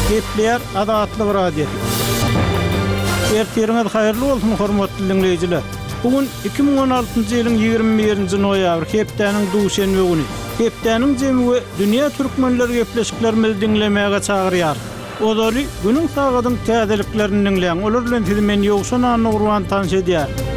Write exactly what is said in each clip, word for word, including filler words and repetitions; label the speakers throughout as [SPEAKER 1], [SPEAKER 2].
[SPEAKER 1] Gepleýär Azatlyk Radiosy. Ertiriňiz haýyrly bolsun, hormatly diňleýjiler! Bu gün iki müň on altynjy ýylyň ýigrimi birinji noýabry, hepdäniň duşenbe güni. Hepdäniň jemi we dünýä türkmenleri gepleşiklerimizi diňlemäge çagyrýarys. Ozaly günüň sagadyň täzeliklerini diňläň, olar bilen sizi men Ýowşan Annagurban tanyş edýärin.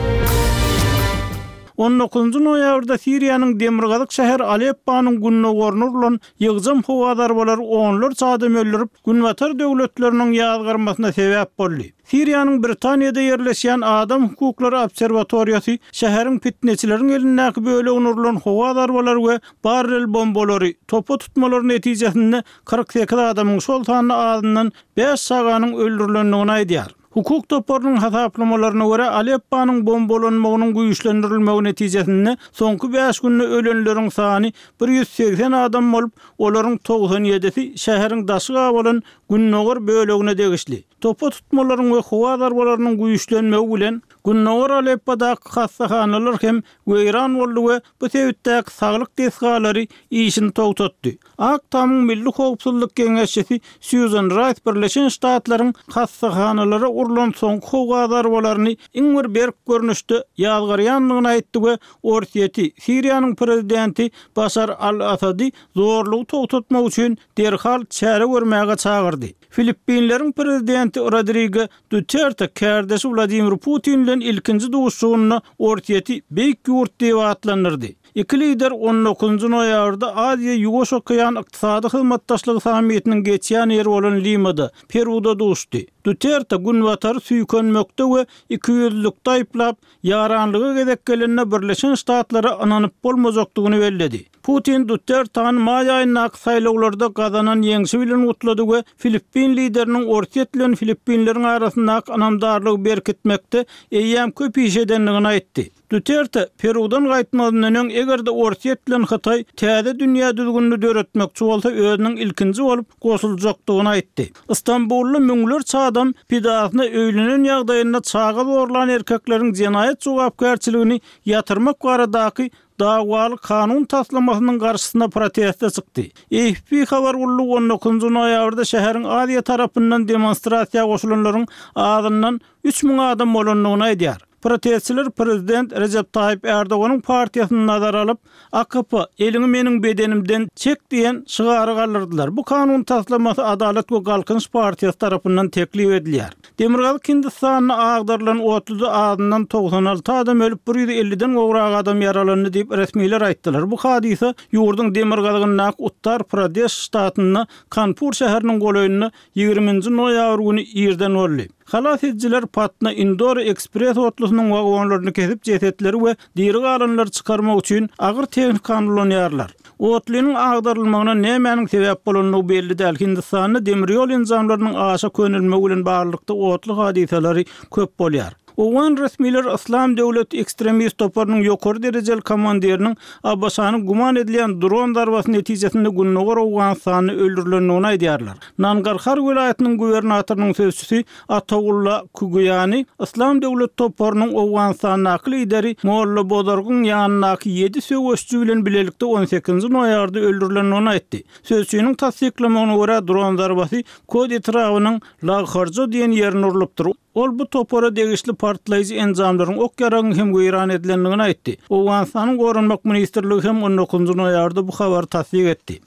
[SPEAKER 1] On dokuzynjy noýabrda Siriýanyň demirgazyk şäheri Alepponyň gündogaryna urlan ýygjam howa zarbalary onlarça adam öldürip, Günbatar döwletleriniň ýazgarmasyna sebäp boldy. Siriýanyň Britaniýada ýerleşýän Adam hukuklary obserwatoriýasy şäheriň pitneçileriň elindäki bölegine urlan howa zarbalary we barrel bombalary, topa tutmalary netijesinde kyrk sekiz adamyň, şol sanda azyndan bäş çaganyň öldürilendigini aýdýar. Hukuk toparynyň hasaplamalaryna görä, Alepponyň bombalanmagynyň güýçlendirilmegi netijesinde soňky bäş günde ölenleriň sany bir ýüz segsen adam bolup, olaryň togsan ýedisi şäheriň daşy gabalan gündogar bölegine degişli. Topa tutmalaryň we howa zarbalarynyň güýçlenmegi bilen Gündogar Aleppodaky hassahanalar hem weýran boldy we bu sebitdäki saglyk desgalary işini togtatdy. Ak Tamyň Milli howpsuzlyk geňeşçisi Sýuzan Raýs Birleşen Ştatlaryň hassahanalara urlan soňky howa zarbalaryny iň bir berk görnüşde ýazgarýandygyny aýtdy we Orsýeti, Siriýanyň prezidenti Başar al-Assady zorlugy togtatmak üçin derhal çäre görmäge çagyrdy. Filippinleriň prezidenti Rodrigo Duterte kärdeşi Wladimir Putin bilen ilkinji duşuşygynda Orsýeti beýik ýurt diýip atlandyrdy. Iki lider on dokuzynjy noýabrda Aziýa-Ýuwaş okean ykdysady hyzmatdaşlygy sammitiniň geçýän ýeri bolan Limada, Peruda duşdy. Duterte Günbatary süýkenmekde we ikiýüzlülikde aýyplap, ýaranlyga gezek gelende Birleşen Ştatlara ynanyp bolmajakdygyny belledi. Putin Dutertany maý aýyndaky saýlawlarda gazanan ýeňşi bilen gutlady we filippin lideriniň Orsýet bilen Filippinleriň arasyndaky ynamdarlygy berkitmekde eýýäm köp iş edendigini aýtdy. Duterte Perudan gaýtmazyndan öň eger-de Orsýet bilen Hytaý täze dünýä düzgünini döretmekçi bolsa özüniň ilkinji bolup goşuljakdygyny aýtdy. Stambulda müňlerçe adam pidasyna öýlenen ýagdaýynda çaga zorlan erkekleriň jenaýat jogapkärçiligini ýatyrmak baradaky dawaly kanun taslamasynyň garşysyna proteste çykdy. A F P habar gullugy on dokuzynjy noýabrda şäheriň Aziýa tarapyndan demonstrasiýa goşulanlaryň azyndan üç müň adam bolandygyny aýdýar. Protestçiler prezident Rejep Taýyp Erdoganyň partiýasyny nazara alyp, A K P, eliňi meniň bedenimden çek diýen şygary galdyrdylar. Bu kanun taslamasy Adalat we Galkynyş partiýasy tarapyndan teklip edilýär. Demirgazyk Hindistanda agdarylan otluda azyndan togsan alty adam ölüp, bir ýüz elliden gowrak adam ýaralandy diýip resmiler aýtdylar. Bu hadysa ýurduň demirgazygyndaky Uttar Pradeş ştatynda Kanpur şäheriniň golaýynda ýigriminji noýabr güni irden boldy. Halas edijiler Patna Indore ekspres otlusynyň wagonlaryny kesip jesetleri we diri galanlary çykarmak üçin agyr tehnikany ulanýarlar. Otlynyň agdarylmagyna nämäniň sebäp bolandygy belli däl. Hindistanda demir ýol enjamlarynyň aşa könelmegi bilen baglylykda otly hadysalary köp bolýar. Owgan resmiler Yslam döwleti ekstremist toparynyň ýokary derejeli komandiriniň A B Ş-nyň güman edilýän dron zarbasy netijesinde Gündogar Owganystanda öldürilendigini aýdýarlar. Nangarhar welaýatynyň gubernatorynyň sözçüsi Atagulla Kugyýany Yslam döwleti toparynyň Owganystandaky lideri Molla Bozorgyň ýanyndaky ýedi söweşçi bilen bilelikde on sekizinji noýabrda öldürilendigini aýtdy. Sözçüniň tassyklamagyna görä dron zarbasy Kod etrabynyň Lagharjo diýen ýerine urlupdyr. Ol bu topara degişli partlaýjy enjamlaryň ok ýaragyň hem weýran edilendigini aýtdy. Owganystanyň Goranmak ministrligi hem on dokuzynjy noýabrda bu habary tassyk etdi.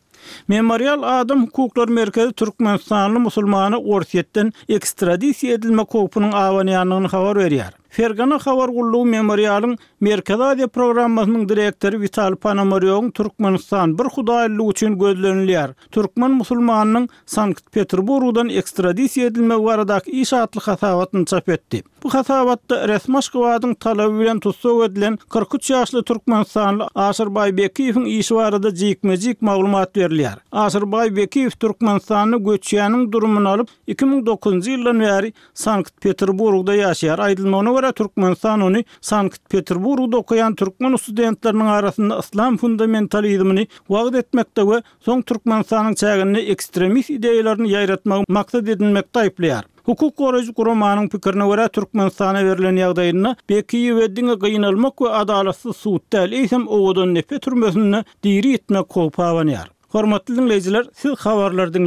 [SPEAKER 1] Memorial Adam hukuklary merkezi Türkmenistanly musulmana Orsýetden ekstradisiýa edilmek howpunyň abanýandygyny habar berýär. Fergana habar gullugy Memorialyň Merkezi Aziýa programmasynyň direktory Witali Ponomarýowyň Türkmenistan bir hudaýlylyk üçin gözlenilýär. Türkmen musulmanynyň Sankt-Peterburgdan ekstradisiýa edilmegi baradaky iş atly hasabatyny çap etdi. Bu hasabatda resmi Aşgabadyň talaby bilen tussag edilen kyrk üç ýaşly Türkmenistanly Aşyrbaý Bekiýewiň işi barada jikme-jik maglumat berilýär. Aşyrbaý Bekiýew Türkmenistanda göçýäniň durumyny alyp, iki müň dokuzynjy ýyldan bäri Sankt-Peterburgda ýaşaýar. Aýdylmagyna görä, Türkmenistan ony Sankt-Peterburgda okaýan türkmen studentleriniň arasynda yslam fundamentalizmini wagyz etmekde we soň Türkmenistanyň çäginde ekstremist ideýalaryny ýaýratmagy maksat edinmekde aýyplaýar. Hukuk goraýjy guramanyň pikirine görä, Türkmenistana berlen ýagdaýynda Bekiýewe diňe gynalmak we adalatsyz sud däl, eýsem owadan nepe türmesinde diri ýitmek howpy abanýar. Hormatly diňleýjiler, siz habarlary diňlediniz.